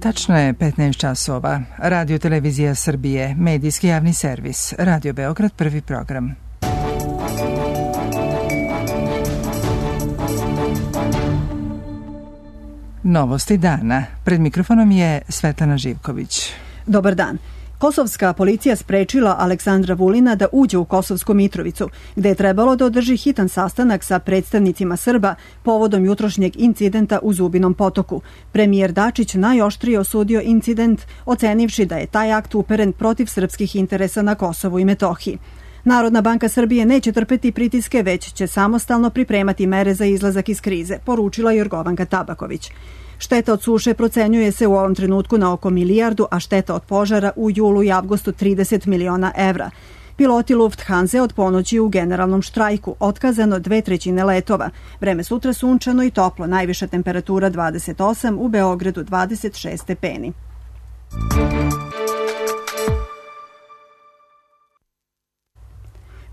Tačno je 15 časova. Radio Televizija Srbije, medijski javni servis, Radio Beograd, prvi program. Novosti dana. Pred mikrofonom je Svetlana Živković. Dobar dan. Kosovska policija sprečila Aleksandra Vulina da uđe u Kosovsku Mitrovicu, gde je trebalo da održi hitan sastanak sa predstavnicima Srba povodom jutrošnjeg incidenta u Zubinom potoku. Premijer Dačić najoštrije osudio incident, ocenivši da je taj akt uperen protiv srpskih interesa na Kosovu i Metohiji. Narodna banka Srbije neće trpeti pritiske, već će samostalno pripremati mere za izlazak iz krize, poručila Jorgovanka Tabaković. Šteta od suše procenjuje se u ovom trenutku na oko milijardu, a šteta od požara u julu i avgustu 30 miliona evra. Piloti Lufthansa od ponoći u generalnom štrajku, otkazano 2/3 letova. Vreme sutra sunčano i toplo, najviša temperatura 28, u Beogradu 26 stepeni.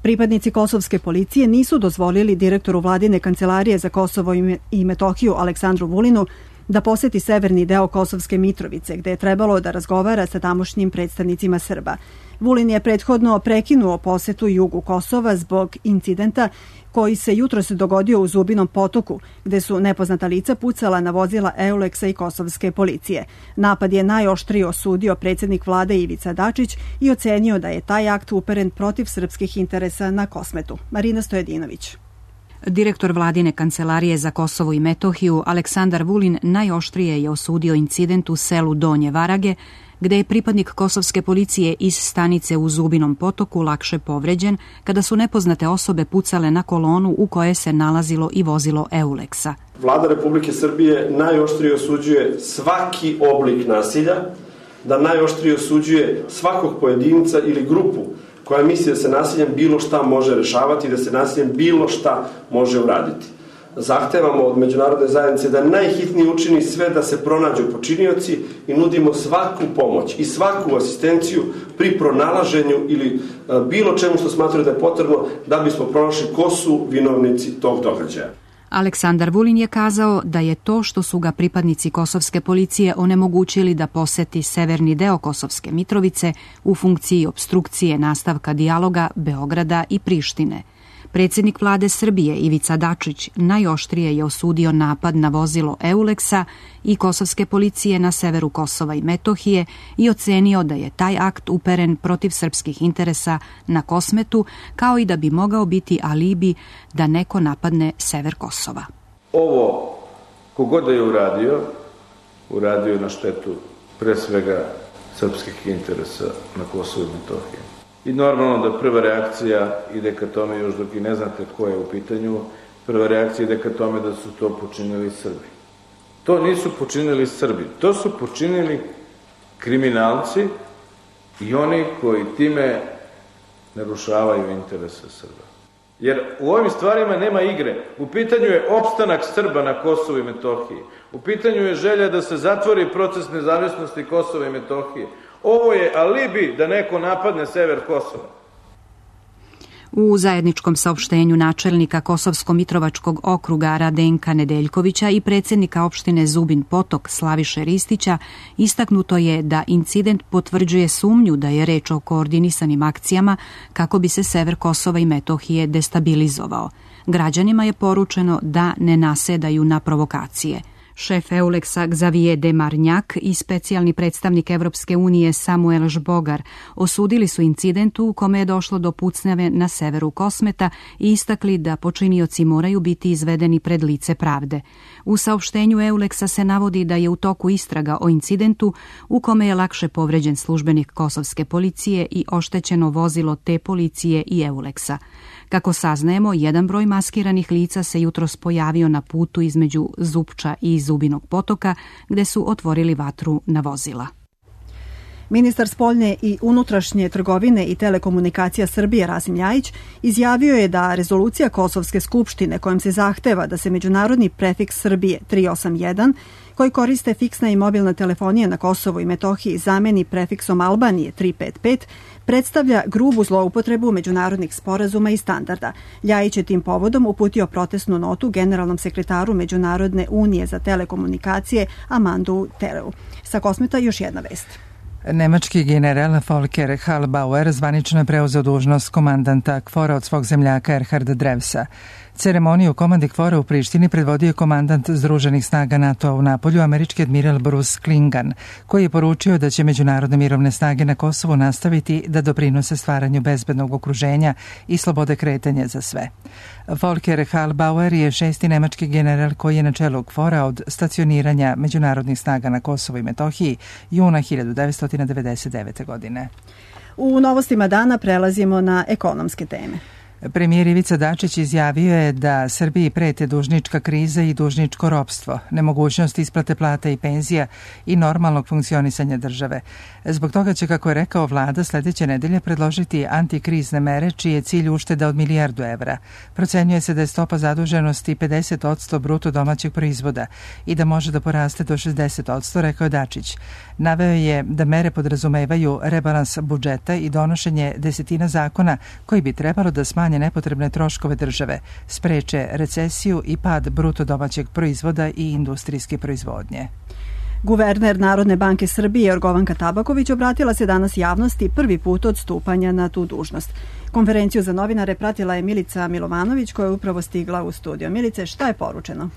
Pripadnici kosovske policije nisu dozvolili direktoru vladine kancelarije za Kosovo i Metohiju Aleksandru Vulinu da poseti severni deo Kosovske Mitrovice, gde je trebalo da razgovara sa tamošnjim predstavnicima Srba. Vulin je prethodno prekinuo posetu jugu Kosova zbog incidenta koji se jutros dogodio u Zubinom potoku, gde su nepoznata lica pucala na vozila Euleksa i kosovske policije. Napad je najoštrije osudio predsjednik vlade Ivica Dačić i ocenio da je taj akt uperen protiv srpskih interesa na Kosmetu. Marina Stojedinović. Direktor vladine kancelarije za Kosovo i Metohiju Aleksandar Vulin najoštrije je osudio incident u selu Donje Varage, gde je pripadnik kosovske policije iz stanice u Zubinom potoku lakše povređen kada su nepoznate osobe pucale na kolonu u kojoj se nalazilo i vozilo Euleksa. Vlada Republike Srbije najoštrije osuđuje svaki oblik nasilja, da najoštrije osuđuje svakog pojedinca ili grupu koja misli da se nasiljem bilo šta može rešavati i da se nasiljem bilo šta može uraditi. Zahtevamo od međunarodne zajednice da najhitnije učini sve da se pronađu počinioci i nudimo svaku pomoć i svaku asistenciju pri pronalaženju ili bilo čemu što smatraju da je potrebno da bismo pronašli ko su vinovnici tog događaja. Aleksandar Vulin je kazao da je to što su ga pripadnici kosovske policije onemogućili da poseti severni deo Kosovske Mitrovice u funkciji opstrukcije nastavka dijaloga Beograda i Prištine. Predsjednik vlade Srbije Ivica Dačić najoštrije je osudio napad na vozilo Euleksa i kosovske policije na severu Kosova i Metohije i ocenio da je taj akt uperen protiv srpskih interesa na Kosmetu, kao i da bi mogao biti alibi da neko napadne sever Kosova. Ovo, kogod je uradio je na štetu pre svega srpskih interesa na Kosovu i Metohiji. I normalno da prva reakcija ide ka tome, još dok i ne znate ko je u pitanju, prva reakcija ide ka tome da su to počinili Srbi. To nisu počinili Srbi, to su počinili kriminalci i oni koji time narušavaju interese Srba. Jer u ovim stvarima nema igre. U pitanju je opstanak Srba na Kosovu i Metohiji. U pitanju je želja da se zatvori proces nezavisnosti Kosova i Metohije. Ovo je alibi da neko napadne sever Kosova. U zajedničkom saopštenju načelnika Kosovsko-Mitrovačkog okruga Radenka Nedeljkovića i predsjednika opštine Zubin Potok Slaviše Ristića istaknuto je da incident potvrđuje sumnju da je reč o koordinisanim akcijama kako bi se sever Kosova i Metohije destabilizovao. Građanima je poručeno da ne nasedaju na provokacije. Šef Euleksa Xavier de Marnjak i specijalni predstavnik Evropske unije Samuel Žbogar osudili su incident u kome je došlo do pucnjave na severu Kosmeta i istakli da počinioci moraju biti izvedeni pred lice pravde. U saopštenju Euleksa se navodi da je u toku istraga o incidentu u kome je lakše povređen službenik kosovske policije i oštećeno vozilo te policije i Euleksa. Kako saznajemo, jedan broj maskiranih lica se jutros pojavio na putu između Zupča i Zubinog potoka, gde su otvorili vatru na vozila. Ministar spoljne i unutrašnje trgovine i telekomunikacija Srbije Rasim Ljajić izjavio je da rezolucija Kosovske skupštine kojom se zahteva da se međunarodni prefiks Srbije 381 koji koriste fiksna i mobilna telefonija na Kosovu i Metohiji zameni prefiksom Albanije 355 predstavlja grubu zloupotrebu međunarodnih sporazuma i standarda. Ljajić je tim povodom uputio protestnu notu generalnom sekretaru Međunarodne unije za telekomunikacije Amandu Tereu. Sa Kosmeta još jedna vest. Nemački general Volker Hallbauer zvanično je preuzeo dužnost komandanta KFOR-a od svog zemljaka Erharda Drevsa. Ceremoniju komandi KFOR-a u Prištini predvodio je komandant Združenih snaga NATO-a u Napolju, američki admiral Bruce Klingan, koji je poručio da će međunarodne mirovne snage na Kosovu nastaviti da doprinose stvaranju bezbednog okruženja i slobode kretanja za sve. Volker Hallbauer je 6. nemački general koji je na čelu KFOR-a od stacioniranja međunarodnih snaga na Kosovu i Metohiji juna 1999. godine. U novostima dana prelazimo na ekonomske teme. Premijer Ivica Dačić izjavio je da Srbiji prete dužnička kriza i dužničko ropstvo, nemogućnost isplate plata i penzija i normalnog funkcionisanja države. Zbog toga će, kako je rekao, vlada sledeće nedelje predložiti antikrizne mere čiji je cilj ušteda od milijardu evra. Procenjuje se da je stopa zaduženosti 50% bruto domaćeg proizvoda i da može da poraste do 60%, rekao je Dačić. Naveo je da mere podrazumevaju rebalans budžeta i donošenje desetina zakona koji bi trebalo da smanje nepotrebne troškove države, spreče recesiju i pad bruto domaćeg proizvoda i industrijske proizvodnje. Guverner Narodne banke Srbije Jorgovanka Tabaković obratila se danas javnosti prvi put od stupanja na tu dužnost. Konferenciju za novinare pratila je Milica Milovanović koja je upravo stigla u studio. Milice, šta je poručeno?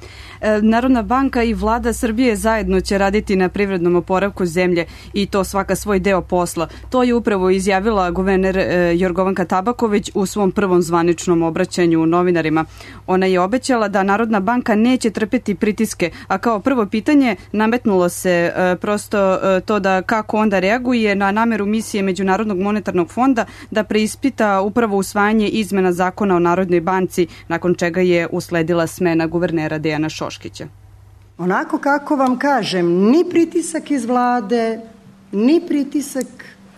Narodna banka i vlada Srbije zajedno će raditi na privrednom oporavku zemlje i to svaka svoj deo posla. To je upravo izjavila guverner Jorgovanka Tabaković u svom prvom zvaničnom obraćanju novinarima. Ona je obećala da Narodna banka neće trpeti pritiske, a kao prvo pitanje nametnulo se prosto to da kako onda reaguje na nameru misije Međunarodnog monetarnog fonda da preispita upravo usvajanje izmena zakona o Narodnoj banci, nakon čega je usledila smena guvernera Dejana Šoškića. Onako kako vam kažem, ni pritisak iz vlade, ni pritisak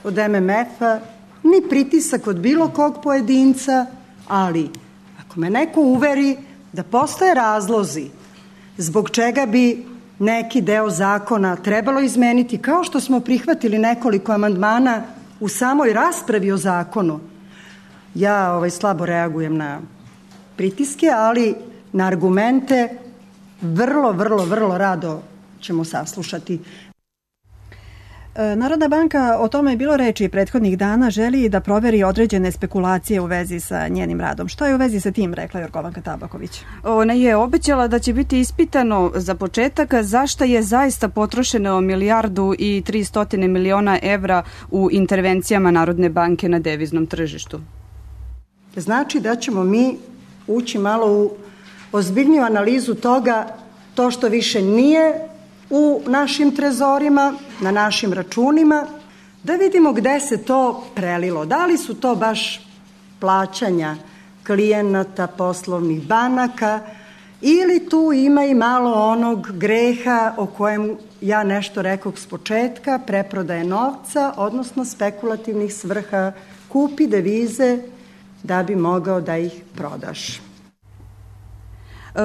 od MMF-a, ni pritisak od bilo kog pojedinca, ali ako me neko uveri da postoje razlozi zbog čega bi neki deo zakona trebalo izmeniti, kao što smo prihvatili nekoliko amandmana u samoj raspravi o zakonu, ja slabo reagujem na pritiske, ali na argumente vrlo rado ćemo saslušati. Narodna banka, o tome je bilo reči prethodnih dana, želi da proveri određene spekulacije u vezi sa njenim radom. Šta je u vezi sa tim, rekla Jorgovanka Tabaković? Ona je obećala da će biti ispitano za početak zašto je zaista potrošeno 1.300 miliona evra u intervencijama Narodne banke na deviznom tržištu. Znači da ćemo mi ući malo u ozbiljniju analizu toga, to što više nije u našim trezorima, na našim računima, da vidimo gde se to prelilo. Da li su to baš plaćanja klijenata, poslovnih banaka, ili tu ima i malo onog greha o kojem ja nešto rekoh s početka, preprodaje novca, odnosno spekulativnih svrha, kupi devize da bi mogao da ih prodaš.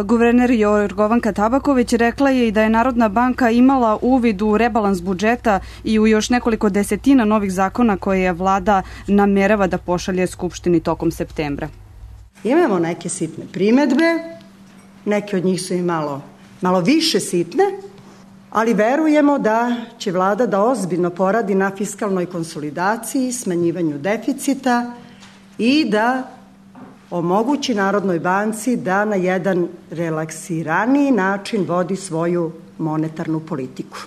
Guverner Jorgovanka Tabaković rekla je i da je Narodna banka imala uvid u rebalans budžeta i u još nekoliko desetina novih zakona koje je vlada namerava da pošalje Skupštini tokom septembra. Imamo neke sitne primedbe, neke od njih su i malo više sitne, ali verujemo da će vlada da ozbiljno poradi na fiskalnoj konsolidaciji, smanjivanju deficita i da omogući Narodnoj banci da na jedan relaksiraniji način vodi svoju monetarnu politiku.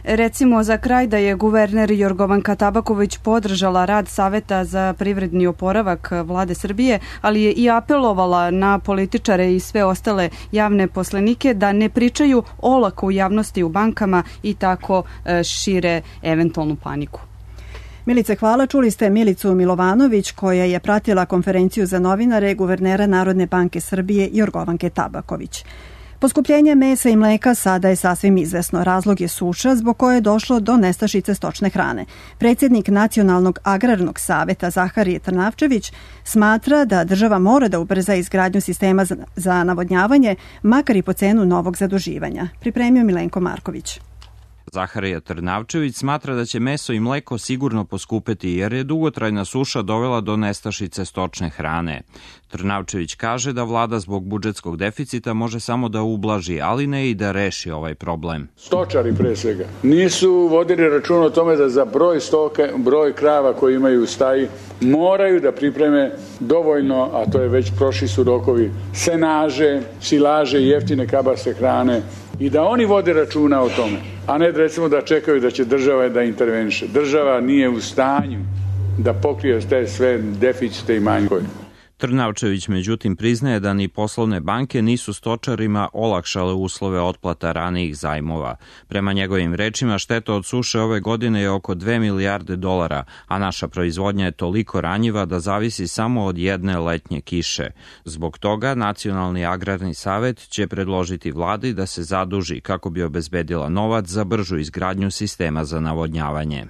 Recimo za kraj da je guverner Jorgovanka Tabaković podržala rad Saveta za privredni oporavak vlade Srbije, ali je i apelovala na političare i sve ostale javne poslenike da ne pričaju olako u javnosti u bankama i tako šire eventualnu paniku. Milice, hvala. Čuli ste Milicu Milovanović koja je pratila konferenciju za novinare guvernera Narodne banke Srbije Jorgovanke Tabaković. Poskupljenje mesa i mleka sada je sasvim izvesno. Razlog je suša zbog koje je došlo do nestašice stočne hrane. Predsjednik Nacionalnog agrarnog saveta Zaharije Trnavčević smatra da država mora da ubrza izgradnju sistema za navodnjavanje, makar i po cenu novog zaduživanja. Pripremio Milenko Marković. Zaharija Trnavčević smatra da će meso i mleko sigurno poskupeti jer je dugotrajna suša dovela do nestašice stočne hrane. Trnavčević kaže da vlada zbog budžetskog deficita može samo da ublaži, ali ne i da reši ovaj problem. Stočari pre svega nisu vodili računa o tome da za broj krava koji imaju u staji moraju da pripreme dovoljno, a to je već prošli su rokovi, senaže, silaže i jeftine kabaste hrane i da oni vode računa o tome, a ne recimo da čekaju da će država da interveniše. Država nije u stanju da pokrije te sve deficite i manjkove. Trnavčević međutim priznaje da ni poslovne banke nisu stočarima olakšale uslove otplata ranijih zajmova. Prema njegovim rečima, šteta od suše ove godine je oko 2 milijarde dolara, a naša proizvodnja je toliko ranjiva da zavisi samo od jedne letnje kiše. Zbog toga Nacionalni agrarni savet će predložiti vladi da se zaduži kako bi obezbedila novac za bržu izgradnju sistema za navodnjavanje.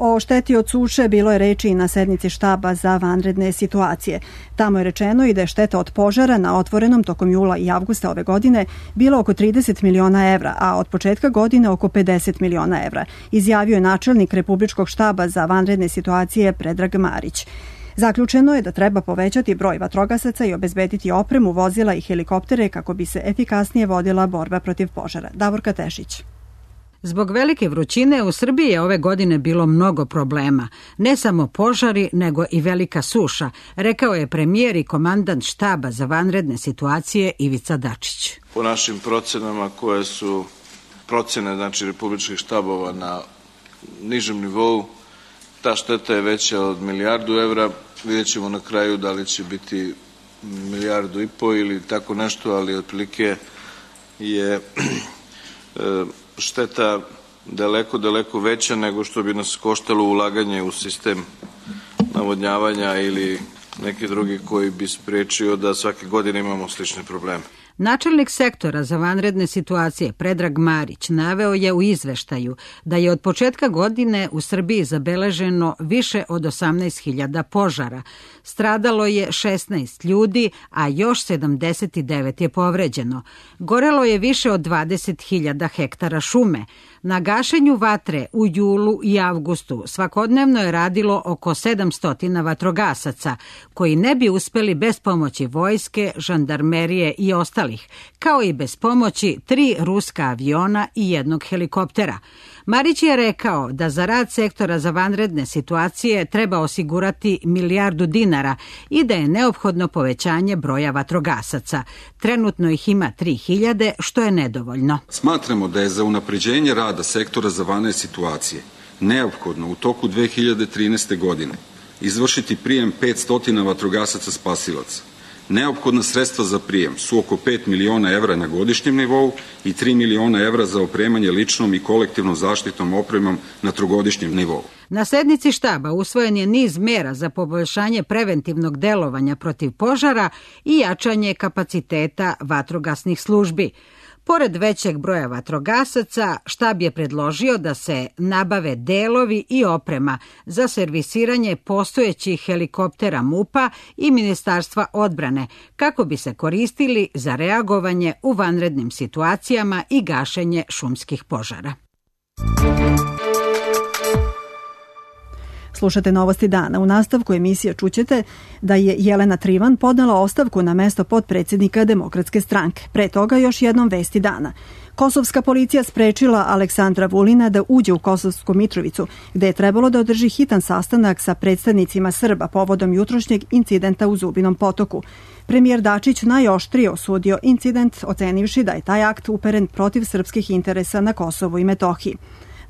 O šteti od suše bilo je reči i na sednici štaba za vanredne situacije. Tamo je rečeno i da je šteta od požara na otvorenom tokom jula i avgusta ove godine bila oko 30 miliona evra, a od početka godine oko 50 miliona evra, izjavio je načelnik Republičkog štaba za vanredne situacije Predrag Marić. Zaključeno je da treba povećati broj vatrogasaca i obezbediti opremu, vozila i helikoptere kako bi se efikasnije vodila borba protiv požara. Davorka Tešić. Zbog velike vrućine u Srbiji je ove godine bilo mnogo problema. Ne samo požari, nego i velika suša, rekao je premijer i komandant štaba za vanredne situacije Ivica Dačić. Po našim procenama koje su procene republičkih štabova na nižem nivou, ta šteta je veća od 1 milijardu evra. Vidjet ćemo na kraju da li će biti 1,5 milijardu ili tako nešto, ali otprilike je šteta daleko veća nego što bi nas koštalo ulaganje u sistem navodnjavanja ili neki drugi koji bi sprečio da svake godine imamo slične probleme. Načelnik sektora za vanredne situacije Predrag Marić naveo je u izveštaju da je od početka godine u Srbiji zabeleženo više od 18.000 požara. Stradalo je 16 ljudi, a još 79 je povređeno. Gorelo je više od 20.000 hektara šume. Na gašenju vatre u julu i avgustu svakodnevno je radilo oko 700 vatrogasaca, koji ne bi uspeli bez pomoći vojske, žandarmerije i ostalih, kao i bez pomoći 3 ruska aviona i 1 helikoptera. Marić je rekao da za rad sektora za vanredne situacije treba osigurati 1 milijardu dinara i da je neophodno povećanje broja vatrogasaca. Trenutno ih ima 3.000, što je nedovoljno. Smatramo da je za unapređenje rada sektora za vanredne situacije neophodno u toku 2013. godine izvršiti prijem 500 vatrogasaca spasilaca. Neophodna sredstva za prijem su oko 5 miliona evra na godišnjem nivou i 3 miliona evra za opremanje ličnom i kolektivnom zaštitnom opremom na trogodišnjem nivou. Na sednici štaba usvojen je niz mera za poboljšanje preventivnog delovanja protiv požara i jačanje kapaciteta vatrogasnih službi. Pored većeg broja vatrogasaca, štab je predložio da se nabave delovi i oprema za servisiranje postojećih helikoptera MUP-a i Ministarstva odbrane, kako bi se koristili za reagovanje u vanrednim situacijama i gašenje šumskih požara. Slušate Novosti dana. U nastavku emisije čućete da je Jelena Trivan podnela ostavku na mesto potpredsjednika Demokratske stranke. Pre toga još jednom vesti dana. Kosovska policija sprečila Aleksandra Vulina da uđe u Kosovsku Mitrovicu, gde je trebalo da održi hitan sastanak sa predstavnicima Srba povodom jutrošnjeg incidenta u Zubinom potoku. Premijer Dačić najoštrije osudio incident, ocenivši da je taj akt uperen protiv srpskih interesa na Kosovu i Metohiji.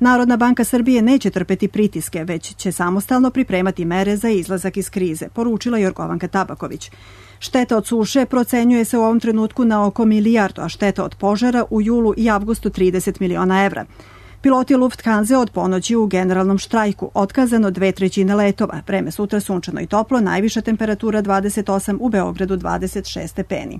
Narodna banka Srbije neće trpeti pritiske, već će samostalno pripremati mere za izlazak iz krize, poručila Jorgovanka Tabaković. Šteta od suše procenjuje se u ovom trenutku na oko 1 milijardu, a šteta od požara u julu i avgustu 30 miliona evra. Piloti Lufthansa od ponoći u generalnom štrajku, otkazano 2/3 letova. Vreme sutra sunčano i toplo, najviša temperatura 28, u Beogradu 26 stepeni.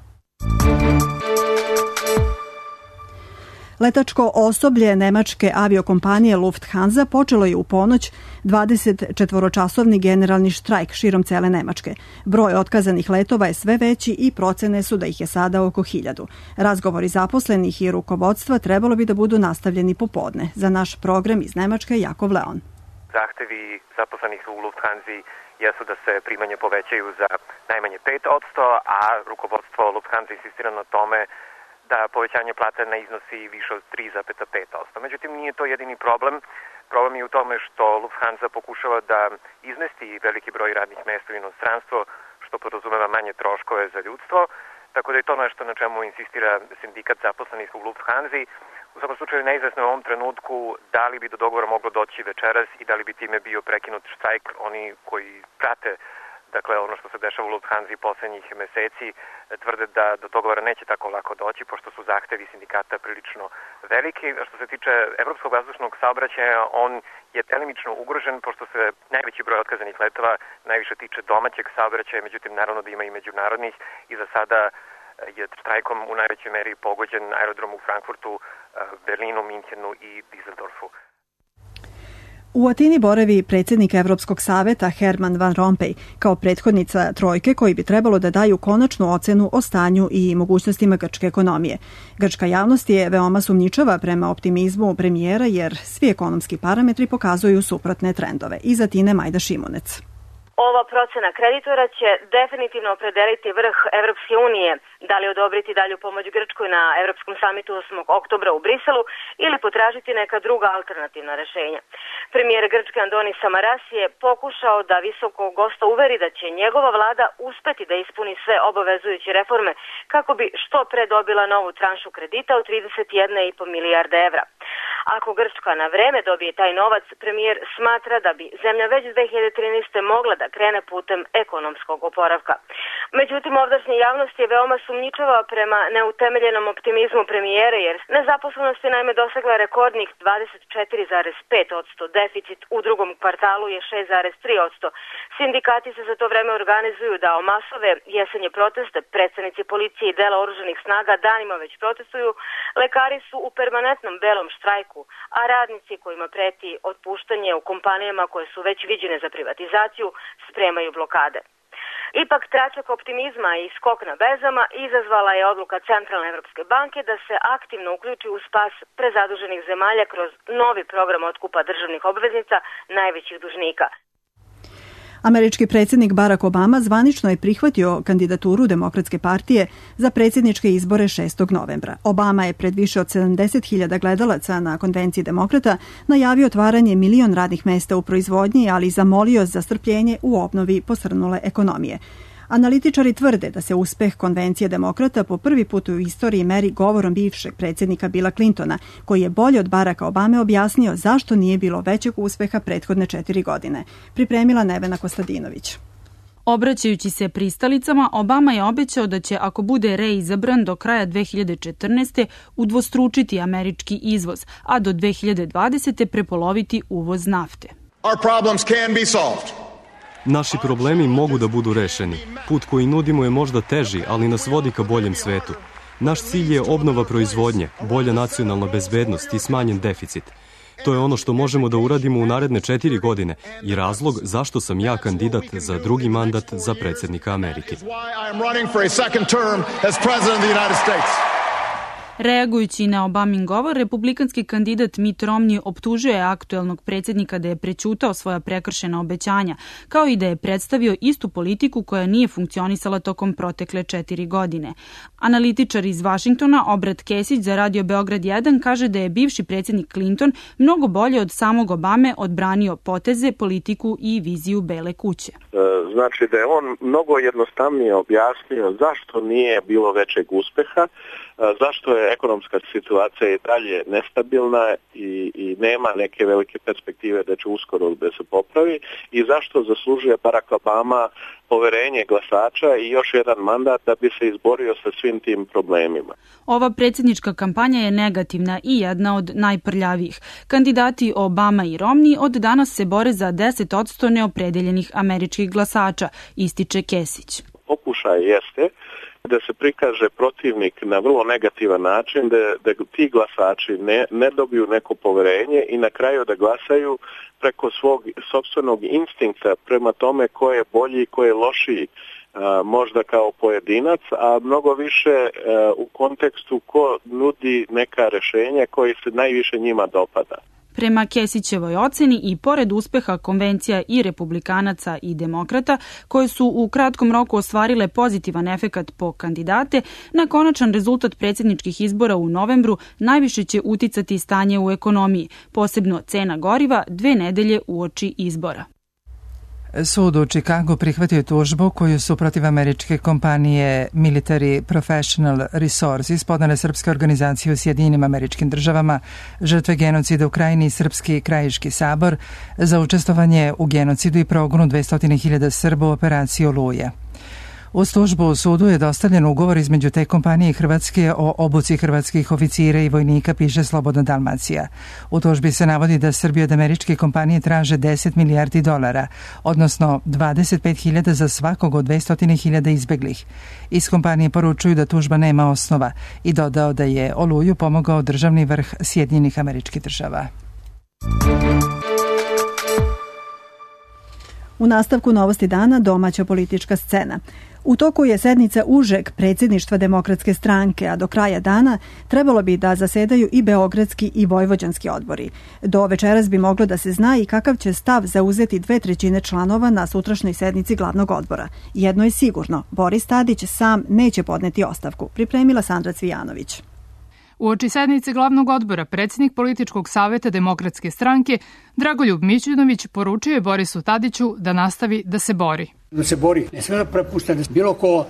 Letačko osoblje nemačke aviokompanije Lufthansa počelo je u ponoć 24-časovni generalni štrajk širom cele Nemačke. Broj otkazanih letova je sve veći i procene su da ih je sada oko 1000. Razgovori zaposlenih i rukovodstva trebalo bi da budu nastavljeni popodne. Za naš program iz Nemačke Jakov Leon. Zahtevi zaposlenih u Lufthansi jesu da se primanje povećaju za najmanje 5%, a rukovodstvo Lufthansa insistira na tome da povećanje plate ne iznosi više od 3,5%. Međutim, nije to jedini problem. Problem je u tome što Lufthansa pokušava da izmesti veliki broj radnih mesta u inostranstvo, što podrazumeva manje troškove za ljudstvo, tako da je to nešto na čemu insistira sindikat zaposlenih u Lufthansi. U svakom slučaju neizvesno u ovom trenutku da li bi do dogovora moglo doći večeras i da li bi time bio prekinut štrajk. Oni koji prate ono što se dešava u Lufthansi poslednjih meseci tvrde da do dogovora neće tako lako doći, pošto su zahtevi sindikata prilično veliki. A što se tiče evropskog vazdušnog saobraćaja, on je delimično ugrožen, pošto se najveći broj otkazanih letova najviše tiče domaćeg saobraćaja, međutim naravno da ima i međunarodnih i za sada je štrajkom u najvećoj meri pogođen aerodrom u Frankfurtu, Berlinu, Minhenu i Düsseldorfu. U Atini boravi predsjednik Evropskog saveta Herman Van Rompuy kao prethodnica trojke koji bi trebalo da daju konačnu ocenu o stanju i mogućnostima grčke ekonomije. Grčka javnost je veoma sumnjičava prema optimizmu premijera jer svi ekonomski parametri pokazuju suprotne trendove. Iz Atine Majda Šimunec. Ova procena kreditora će definitivno opredeliti vrh Evropske unije, da li odobriti dalju pomoć Grčkoj na Evropskom samitu 8. oktobra u Briselu ili potražiti neka druga alternativna rešenja. Premijer Grčke Andonis Samaras je pokušao da visokog gosta uveri da će njegova vlada uspeti da ispuni sve obavezujuće reforme kako bi što pre dobila novu tranšu kredita od 31,5 milijarde evra. Ako Grčka na vreme dobije taj novac, premijer smatra da bi zemlja već 2013. mogla da krene putem ekonomskog oporavka. Međutim, ovdašnja javnost je veoma sumnjičava prema neutemeljenom optimizmu premijera, jer nezaposlenost je naime dosegla rekordnih 24,5%, deficit u drugom kvartalu je 6,3%. Sindikati se za to vreme organizuju da o masove jesenje proteste, predstavnici policije i dela oružanih snaga danima već protestuju, lekari su u permanentnom belom štrajku, a radnici kojima preti otpuštanje u kompanijama koje su već viđene za privatizaciju spremaju blokade. Ipak tračak optimizma i skok na berzama izazvala je odluka Centralne Evropske banke da se aktivno uključi u spas prezaduženih zemalja kroz novi program otkupa državnih obveznica najvećih dužnika. Američki predsjednik Barack Obama zvanično je prihvatio kandidaturu Demokratske partije za predsjedničke izbore 6. novembra. Obama je pred više od 70.000 gledalaca na konvenciji demokrata najavio otvaranje 1 milion radnih mesta u proizvodnji, ali zamolio za strpljenje u obnovi posrnule ekonomije. Analitičari tvrde da se uspeh konvencije demokrata po prvi put u istoriji meri govorom bivšeg predsjednika Billa Clintona, koji je bolje od Baracka Obame objasnio zašto nije bilo većeg uspeha prethodne 4 godine. Pripremila Nevena Kostadinović. Obraćajući se pristalicama, Obama je obećao da će, ako bude reizabran do kraja 2014. udvostručiti američki izvoz, a do 2020. prepoloviti uvoz nafte. Our problems can be solved. Naši problemi mogu da budu rešeni. Put koji nudimo je možda teži, ali nas vodi ka boljem svetu. Naš cilj je obnova proizvodnje, bolja nacionalna bezbednost i smanjen deficit. To je ono što možemo da uradimo u naredne 4 godine i razlog zašto sam ja kandidat za drugi mandat za predsjednika Amerike. Reagujući na Obamin govor, republikanski kandidat Mitt Romney optužuje aktuelnog predsjednika da je prećutao svoja prekršena obećanja, kao i da je predstavio istu politiku koja nije funkcionisala tokom protekle 4 godine. Analitičar iz Vašingtona, Obrat Kesić za Radio Beograd 1, kaže da je bivši predsjednik Clinton mnogo bolje od samog Obame odbranio poteze, politiku i viziju Bele kuće. Znači da je on mnogo jednostavnije objasnio zašto nije bilo većeg uspeha, zašto je ekonomska situacija i dalje nestabilna i nema neke velike perspektive da će uskoro da se popravi i zašto zaslužuje Barack Obama poverenje glasača i još jedan mandat da bi se izborio sa svim tim problemima. Ova predsjednička kampanja je negativna i jedna od najprljavijih. Kandidati Obama i Romney od danas se bore za 10% neopredeljenih američkih glasača, ističe Kesić. Pokušaj jeste da se prikaže protivnik na vrlo negativan način, da ti glasači ne dobiju neko poverenje i na kraju da glasaju preko svog sopstvenog instinkta prema tome ko je bolji i ko je lošiji, možda kao pojedinac, a mnogo više u kontekstu ko nudi neka rešenja koji se najviše njima dopada. Prema Kesićevoj oceni i pored uspeha konvencija i republikanaca i demokrata, koje su u kratkom roku ostvarile pozitivan efekat po kandidate, na konačan rezultat predsjedničkih izbora u novembru najviše će uticati stanje u ekonomiji, posebno cena goriva 2 nedelje uoči izbora. Sud u Čikagu prihvatio tužbu koju su protiv američke kompanije Military Professional Resources podnele srpske organizacije u Sjedinjenim Američkim Državama, žrtve genocida u Krajini i Srpski krajiški sabor za učestvovanje u genocidu i progonu 200.000 Srba u operaciji Oluja. Uz tužbu u sudu je dostavljen ugovor između te kompanije i Hrvatske o obuci hrvatskih oficira i vojnika, piše Slobodna Dalmacija. U tužbi se navodi da Srbija od američke kompanije traže $10 milijardi, odnosno 25.000 za svakog od 200.000 izbeglih. Iz kompanije poručuju da tužba nema osnova i dodao da je Oluju pomogao državni vrh Sjedinjenih Američkih Država. U nastavku novosti dana domaća politička scena. U toku je sednica užeg predsjedništva Demokratske stranke, a do kraja dana trebalo bi da zasedaju i beogradski i vojvođanski odbori. Do večeras bi moglo da se zna i kakav će stav zauzeti 2/3 članova na sutrašnjoj sednici glavnog odbora. Jedno je sigurno, Boris Tadić sam neće podneti ostavku, pripremila Sandra Cvijanović. Uoči sednice glavnog odbora, predsjednik političkog saveta Demokratske stranke Dragoljub Mićunović poručio je Borisu Tadiću da nastavi da se bori. Da se bori, ne sme da prepušta da bilo ko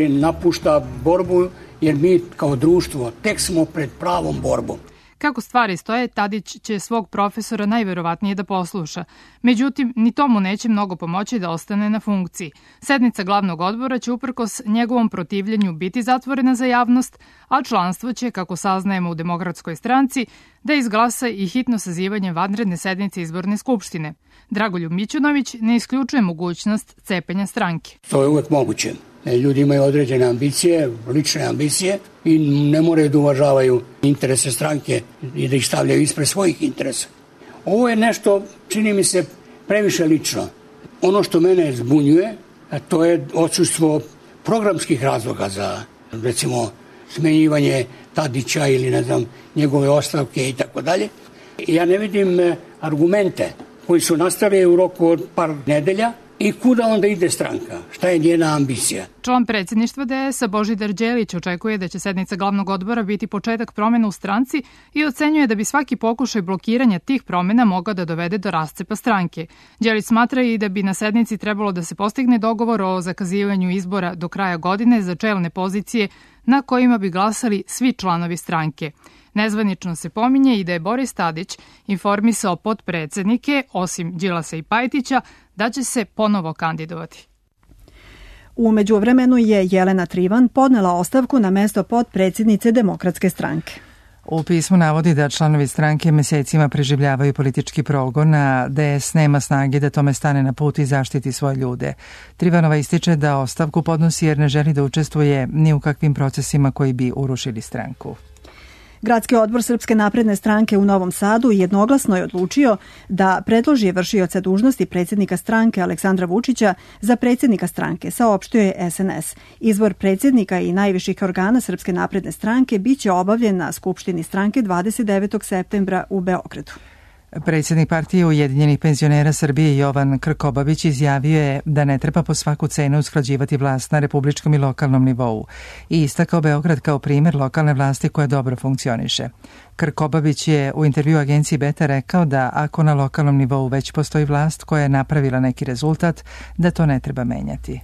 napušta borbu, jer mi kao društvo tek smo pred pravom borbom. Kako stvari stoje, Tadić će svog profesora najverovatnije da posluša. Međutim, ni tomu neće mnogo pomoći da ostane na funkciji. Sednica glavnog odbora će uprkos njegovom protivljenju biti zatvorena za javnost, a članstvo će, kako saznajemo u Demokratskoj stranci, da izglasa i hitno sazivanje vanredne sednice izborne skupštine. Dragoljub Mićunović ne isključuje mogućnost cepenja stranke. To je uvek moguće. Ljudi imaju određene ambicije, lične ambicije i ne moraju da uvažavaju interese stranke i da ih stavljaju ispred svojih interesa. Ovo je nešto, čini mi se, previše lično. Ono što mene zbunjuje, to je odsustvo programskih razloga za, recimo, smenjivanje Tadića ili, njegove ostavke i tako dalje. Ja ne vidim argumente koji su nastali u roku od par nedelja. I kuda onda ide stranka? Šta je njena ambicija? Član predsjedništva DS-a Božidar Đelić očekuje da će sednica glavnog odbora biti početak promjena u stranci i ocenjuje da bi svaki pokušaj blokiranja tih promjena mogao da dovede do rascepa stranke. Đelić smatra i da bi na sednici trebalo da se postigne dogovor o zakazivanju izbora do kraja godine za čelne pozicije na kojima bi glasali svi članovi stranke. Nezvanično se pominje i da je Boris Tadić informisao potpredsednike, osim Đilasa i Pajtića, da će se ponovo kandidovati. U međuvremenu je Jelena Trivan podnela ostavku na mesto potpredsjednice Demokratske stranke. U pismu navodi da članovi stranke mesecima preživljavaju politički progon, a DS nema snage da tome stane na put i zaštiti svoje ljude. Trivanova ističe da ostavku podnosi jer ne želi da učestvuje ni u kakvim procesima koji bi urušili stranku. Gradski odbor Srpske napredne stranke u Novom Sadu jednoglasno je odlučio da predloži vršioca dužnosti predsjednika stranke Aleksandra Vučića za predsjednika stranke, saopštio je SNS. Izbor predsjednika i najviših organa Srpske napredne stranke biće obavljen na Skupštini stranke 29. septembra u Beogradu. Predsjednik partije Ujedinjenih penzionera Srbije Jovan Krkobabić izjavio je da ne treba po svaku cenu usklađivati vlast na republičkom i lokalnom nivou i istakao Beograd kao primjer lokalne vlasti koja dobro funkcioniše. Krkobabić je u intervju agenciji Beta rekao da ako na lokalnom nivou već postoji vlast koja je napravila neki rezultat, da to ne treba menjati.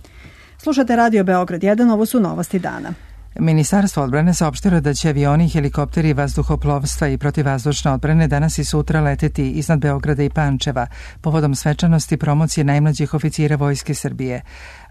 Slušate Radio Beograd 1, ovo su novosti dana. Ministarstvo odbrane saopštilo da će avioni, helikopteri, vazduhoplovstva i protivvazdušne odbrane danas i sutra leteti iznad Beograda i Pančeva povodom svečanosti promocije najmlađih oficira Vojske Srbije.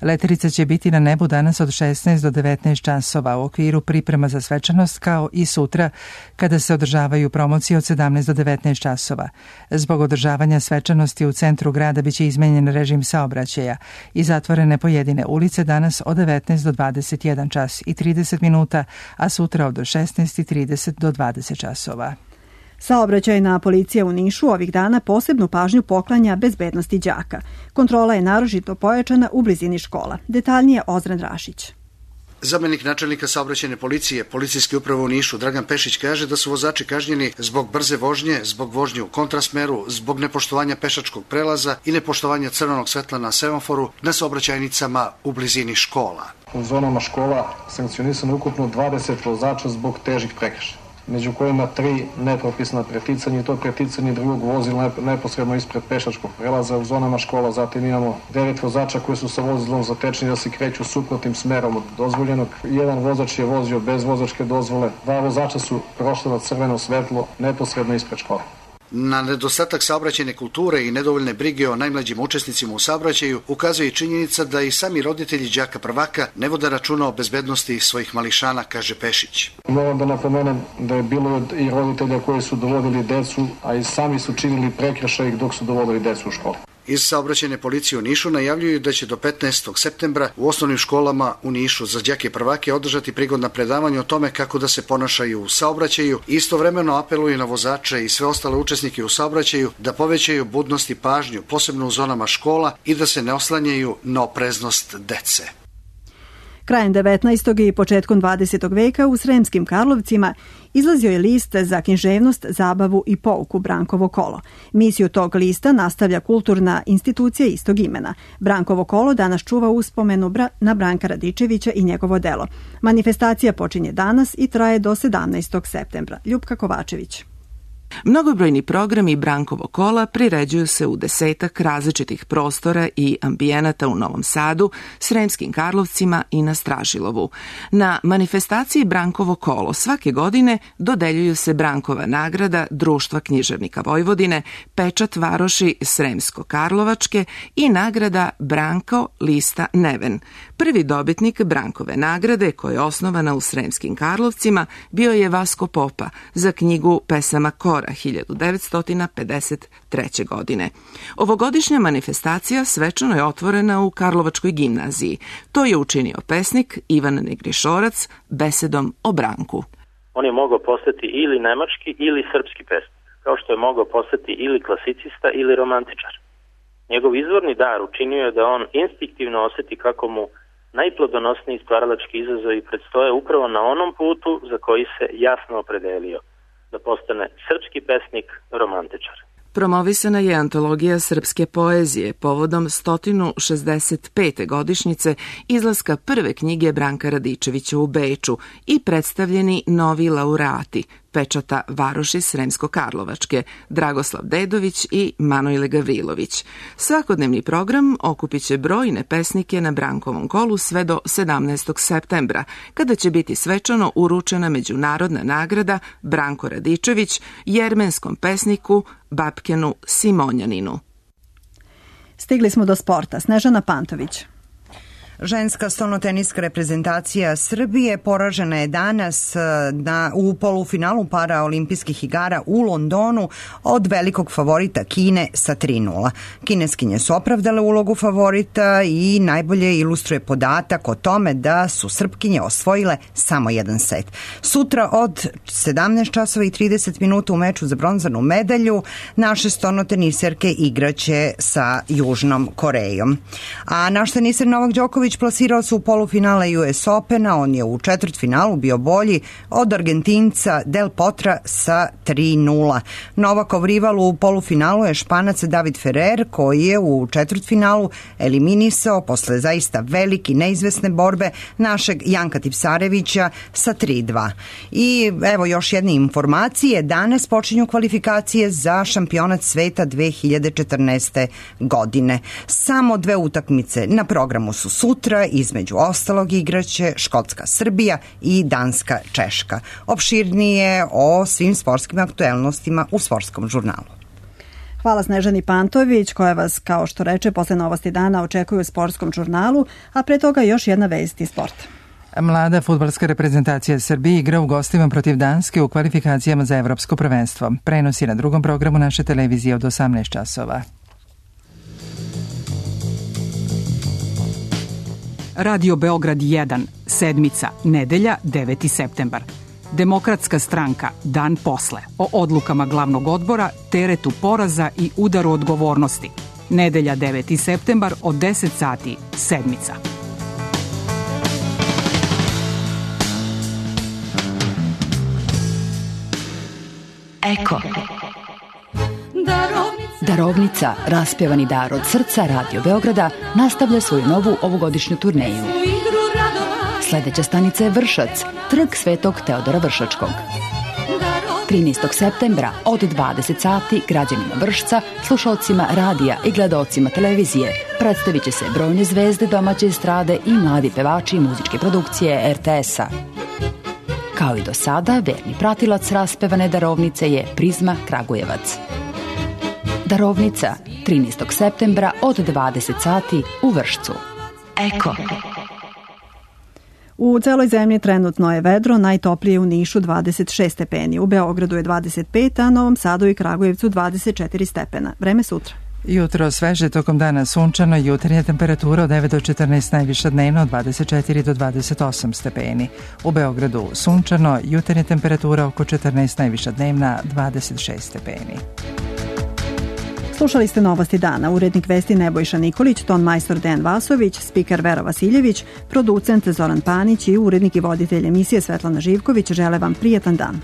Letelica će biti na nebu danas od 16 do 19 časova u okviru priprema za svečanost, kao i sutra kada se održavaju promocije od 17 do 19 časova. Zbog održavanja svečanosti u centru grada biće izmenjen režim saobraćaja i zatvorene pojedine ulice danas od 19 do 21 čas i 30 minuta, a sutra od 16:30 do 20 časova. Saobraćajna policija u Nišu ovih dana posebnu pažnju poklanja bezbednosti đaka. Kontrola je naročito pojačana u blizini škola. Detaljnije Ozren Rašić. Zamenik načelnika saobraćajne policije, policijske uprave u Nišu, Dragan Pešić, kaže da su vozači kažnjeni zbog brze vožnje, zbog vožnje u kontrasmeru, zbog nepoštovanja pešačkog prelaza i nepoštovanja crvenog svetla na semaforu na saobraćajnicama u blizini škola. U zonama škola sankcionisano ukupno 20 vozača zbog težih prekršaja, među kojima 3 nepropisna preticanja i to preticanje drugog vozila neposredno ispred pešačkog prelaza u zonama škola. Zatim imamo 9 vozača koji su sa vozilom zatečeni da se kreću suprotnim smerom od dozvoljenog. Jedan vozač je vozio bez vozačke dozvole, 2 vozača su prošla na crveno svetlo neposredno ispred škola. Na nedostatak saobraćajne kulture i nedovoljne brige o najmlađim učesnicima u saobraćaju ukazuje i činjenica da i sami roditelji đaka prvaka ne vode računa o bezbednosti svojih mališana, kaže Pešić. Moram da napomenem da je bilo i roditelja koji su dovodili decu, a i sami su činili prekršaj dok su dovodili decu u školu. Iz saobraćajne policije u Nišu najavljuju da će do 15. septembra u osnovnim školama u Nišu za đake prvake održati prigodna predavanja o tome kako da se ponašaju u saobraćaju. Istovremeno apeluju na vozače i sve ostale učesnike u saobraćaju da povećaju budnost i pažnju, posebno u zonama škola, i da se ne oslanjaju na opreznost dece. Krajem 19. i početkom 20. veka u Sremskim Karlovcima izlazio je list za književnost, zabavu i pouku Brankovo kolo. Misiju tog lista nastavlja kulturna institucija istog imena. Brankovo kolo danas čuva uspomenu na Branka Radičevića i njegovo delo. Manifestacija počinje danas i traje do 17. septembra. Ljupka Kovačević. Mnogobrojni programi Brankovo kola priređuju se u 10 različitih prostora i ambijenata u Novom Sadu, Sremskim Karlovcima i na Stražilovu. Na manifestaciji Brankovo kolo svake godine dodeljuju se Brankova nagrada Društva književnika Vojvodine, pečat varoši Sremsko-Karlovačke i nagrada Branko lista Neven. Prvi dobitnik Brankove nagrade, koja je osnovana u Sremskim Karlovcima, bio je Vasko Popa za knjigu Pesama Kora 1953. godine. Ovogodišnja manifestacija svečano je otvorena u Karlovačkoj gimnaziji. To je učinio pesnik Ivan Negrišorac besedom o Branku. On je mogao postati ili nemački ili srpski pesnik, kao što je mogao postati ili klasicista ili romantičar. Njegov izvorni dar učinio je da on instinktivno osjeti kako mu najplodonosniji stvaralački izazovi predstoje upravo na onom putu za koji se jasno opredelio, da postane srpski pesnik, romantičar. Promovisana je antologija srpske poezije povodom 165. godišnjice izlaska prve knjige Branka Radičevića u Beču i predstavljeni novi laureati pečata varoši Sremsko-Karlovačke, Dragoslav Dedović i Manojle Gavrilović. Svakodnevni program okupit će brojne pesnike na Brankovom kolu sve do 17. septembra, kada će biti svečano uručena međunarodna nagrada Branko Radičević jermenskom pesniku Babkenu Simonjaninu. Stigli smo do sporta. Snežana Pantović. Ženska stolnoteniska reprezentacija Srbije poražena je danas u polufinalu paraolimpijskih igara u Londonu od velikog favorita Kine sa 3:0. Kineskinje su opravdale ulogu favorita i najbolje ilustruje podatak o tome da su Srpkinje osvojile samo jedan set. Sutra od 17 časova i 30 minuta u meču za bronzanu medalju naše stolnoteniserke igraće sa Južnom Korejom. A naš teniser Novak Đoković plasirao se u polufinale US Opena, on je u četvrtfinalu bio bolji od Argentinca Del Potra sa 3:0. Novakov rival u polufinalu je Španac David Ferrer, koji je u četvrtfinalu eliminisao posle zaista velike neizvesne borbe našeg Janka Tipsarevića sa 3:2. I evo još jedne informacije, danas počinju kvalifikacije za šampionat sveta 2014. godine. Samo 2 utakmice na programu su sutra, Sutra između ostalog igraće Škotska-Srbija i Danska-Češka. Opširnije o svim sportskim aktuelnostima u Sportskom žurnalu. Hvala Snežani Pantović, koja vas, kao što reče, posle Novosti dana očekuju u Sportskom žurnalu, a pre toga još jedna vest iz sporta. Mlada fudbalska reprezentacija Srbije igra u gostima protiv Danske u kvalifikacijama za evropsko prvenstvo. Prenosi na drugom programu naše televizije od 18 časova. Radio Beograd 1, sedmica, nedelja, 9. septembar. Demokratska stranka, dan posle, o odlukama glavnog odbora, teretu poraza i udaru odgovornosti. Nedelja, 9. septembar, od 10 sati, sedmica. Eko. Darovnica, raspjevani dar od srca Radio Beograda, nastavlja svoju novu ovogodišnju turneju. Sljedeća stanica je Vršac, trg Svetog Teodora Vršačkog. 13. septembra od 20 sati građanima Vršca, slušalcima radija i gledaocima televizije predstavit će se brojne zvezde domaće estrade i mladi pevači muzičke produkcije RTS-a. Kao i do sada, verni pratilac raspevane darovnice je Prizma Kragujevac. Darovnica, 13. septembra od 20 sati u Vršcu. Eko. U celoj zemlji trenutno je vedro, najtoplije u Nišu 26 stepeni, u Beogradu je 25, a Novom Sadu i Kragujevcu 24 stepena. Vreme sutra. Jutro sveže, tokom dana sunčano, jutarnja temperatura od 9 do 14, najviša dnevno od 24 do 28 stepeni. U Beogradu sunčano, jutarnja temperatura oko 14, najviša dnevna 26 stepeni. Slušali ste Novosti dana, urednik vesti Nebojša Nikolić, ton majstor Dejan Vasović, spiker Vera Vasiljević, producent Zoran Panić i urednik i voditelj emisije Svetlana Živković žele vam prijatan dan.